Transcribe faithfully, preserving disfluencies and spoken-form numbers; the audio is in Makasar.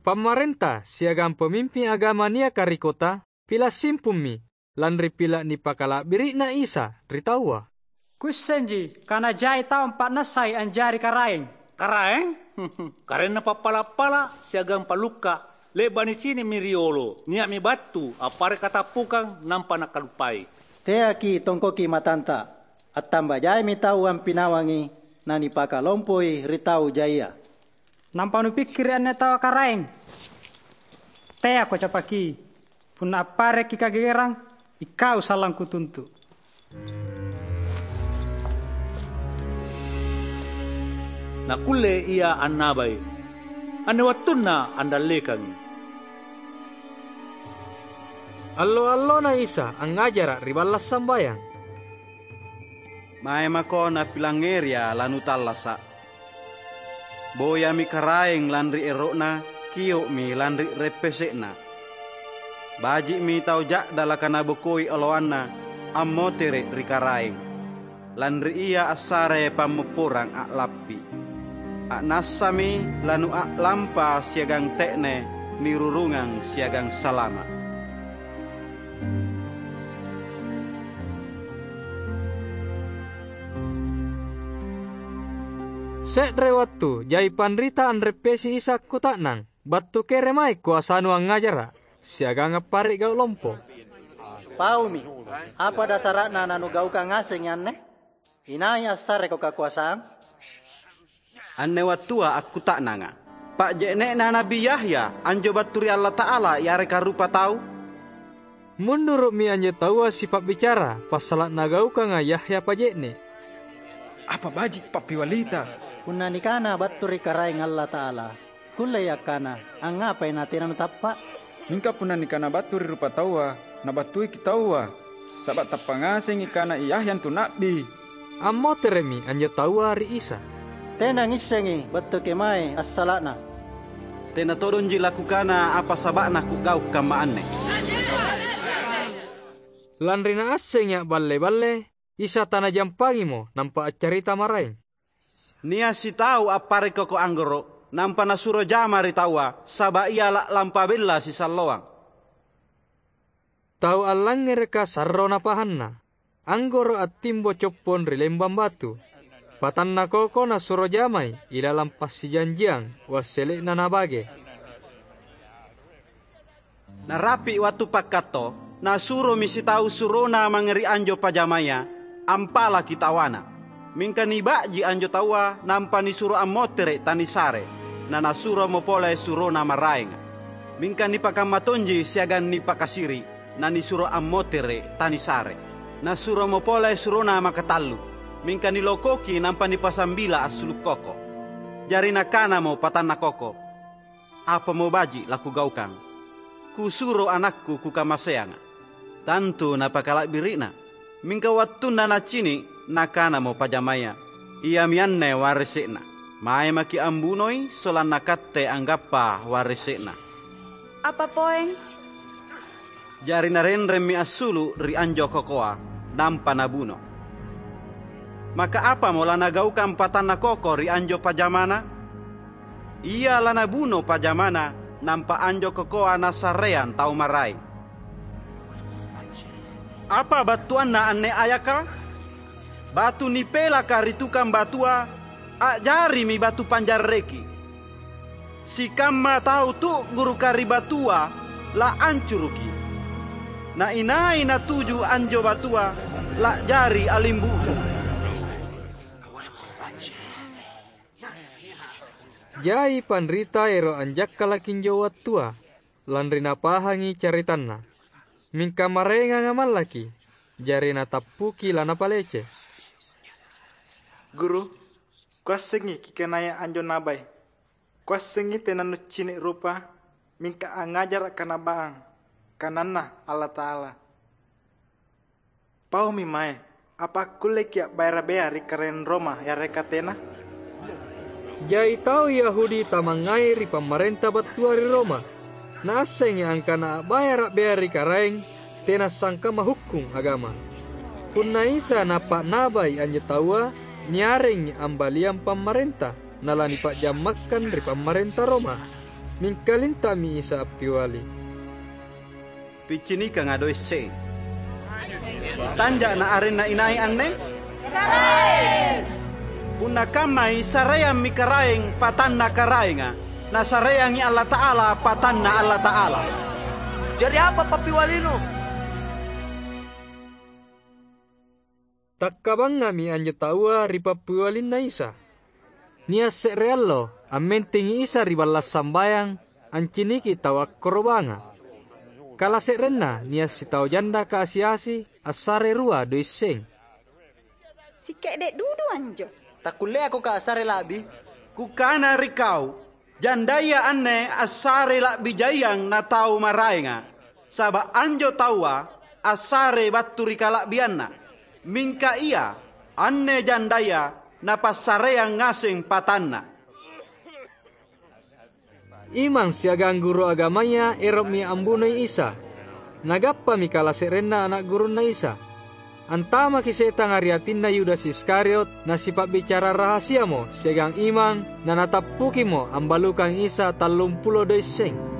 Pamarenta siagang pamimping agama niaka ri kota pila’ simpummi, lanri pila’ nipakala'biri'na Isa ri taua. "Kuissenji kana jai tau ampa'nassai anjari Karaeng." "Karaeng? Karaenna pappala’-pala’ siagang pallukka’. Le'ba’ nicini'mi riolo, nia'mi battu appare’ katappukang nampa nakaluppai." "Teaki tongkoki matanta. Attamba jaimi tau ampinawangi nanipakalompoi ri tau jaia." "Nampa nupikkiri anne taua Karaeng? Teako capaki. Punna apparekki’ kagegerang, ikau sallang kutuntu’." Nakkulle Ia annabai. Anne wattunna andallekangi. Allo-allona Isa angngajara’ ri balla’ sambayang. "Mae mako napilangngeria lanutallasa’. Boyami Karaeng lanri ero'na, kio'mi lanri reppese'na. Baji'mi tau ja'dalaka nabokoi oloanna ammotere’ ri Karaeng, lanri ia assare pammopporang a'lappi. A'nassami lanua'lampa siagang te'ne nirurungang siagang salama’." Se're wattu jai panrita anreppesi Isa akkuta'nang, "Battu kere mae koasaNu angngajara’ siagang appare’ gau’ lompo?" "Paumi. Apa dasara'na nanugaukang ngasengi anne? Inai assareko kakoasang?" "Anne wattua akkuta'nanga, pa'je'ne'na Na'bi Yahya anjo battu ri Allata'ala yareka rupatau?" Munduru'mi anjo taua sipa'bicara passala’ nagaukanga Yahya paje'ne’. "Apa baji’ pappiwalita?" "Punna nikana battu ri Karaeng Allata'ala, kullei akkana, 'Angngapai natena nutappa’?' Mingka punna nikana battu ri rupataua, nabattuiki taua, saba’ tappa’ ngasengi kana Yahya antu na'bi." Ammotere'mi anjo taua ri Isa. "Tena ngissengi battu kemae assala'na." "Tena todongji lakukana apa saba'na kugau’ kamma anne." Lanri naassengi a'balle-balle, Isa tanajampangimo, nampa accarita maraeng. "Nia’ sitau appare’ koko anggoro’, nampa nasuro jama ri taua, saba’ ia la'lampa bella sisalloang." Tau allangngereka sarro napahanna, anggoro’ attimbo coppong ri lembang batu. Patanna koko nasuro jamai ilalang passijanjiang wassele'na nabage. Narapi’ wattu pakkatto, nasuromi sitau surona mange ri anjo pajamaya ampalaki tawana. Mingka niba'ji anjo taua nampa nisuro ammotere’ tanisare, nanasuromo pole surona maraenga. Mingka nipakamma tonji siagang nipakasiri’, nanisuro ammotere’ tanisare. Nasuromo pole surona makatallu, mingka nilokoki nampa nipasambila assulu’ koko. Jari nakanamo patanna koko, "Apamo baji’ lakugaukang? Kusuro anakku kukamaseanga’." Tantu napakala'biri'na. Mingka wattunna nacini’, nakanamo pajamaya, "Iami anne warese'na. Mae maki’ ambunoi, sollanna katte anggappa warese'na." "Apa poeng?" Jari narenremmi assulu’ ri anjo kokoa, nampa nabuno. Maka apamo lanagaukang patanna koko ri anjo pajamana? Ia lanabuno pajamana, nampa anjo kokoa nassareang tau maraeng. Apa battuanna anne ayaka? Batu nipelaka ri tukang batua, a'jarimi batu panjarreki. Sikamma tau tu'guruka ri batua la'ancuruki. Na inai natuju anjo batua, la'jari alimbu'bu. Jai panrita ero’ anjakkalaki anjo wattua, lanri napahangi caritanna. Mingka maraenganga mallaki, jari natappuki lanapalece. "Guru, kuassengi kikanaya anjo nabai. Kuassengi tena nuccini’ rupa, mingka angngajara’ kanabaang, kananNa Allata'ala. Paumi mae, apa akkulleki’ a'bayara’ bea ri karaeng Roma yareka tena?" Jai tau Yahudi tamangngai ri pamarenta battua ri Roma. Naassengi angkana a'bayara’ bea ri karaeng tena sangkamma hukkung agama. Punna Isa Napa'nabai anjo taua, niarengi ambaliang pamarenta, nalanipa'jammakkang ri pamarenta Roma. Mingka linta'mi Isa appiali, "Picinikanga doe' seng. Tanja' na arenna inai anne?" "Karaeng." "Punna kammai, sareammi Karaeng patanna Karaenga, nasareangi Allata'ala patanna Allata'ala." "Jari apa pappialinu?" Takkabangngami anjo taua ri pappialinna Isa. Nia' se're allo, ammentengi Isa ri balla' sambayang, anciniki tau akkorobanga. Kalase'renna nia' sitau janda kasi-asi assare rua doe' seng. "Sike'de' dudu anjo." "Takkulleakoka assare la'bi?" "Kukana ri kau, jandaya anne assare la'bi jaiang na tau maraenga, saba' anjo taua assare battu ri kala'bianna. Mingka ia, anne jandaya napassareang ngaseng patanna." Imang siagang guru agamaya ero'mi ambunoi Isa. Nagappami kalase'renna ana' gurunNa Isa. Antamaki setanga ri atinna Yudas Iskariot, nasipa'bicara rahasiamo siagang imang, nanatappukimo ambalukang Isa tallumpulo doe' seng.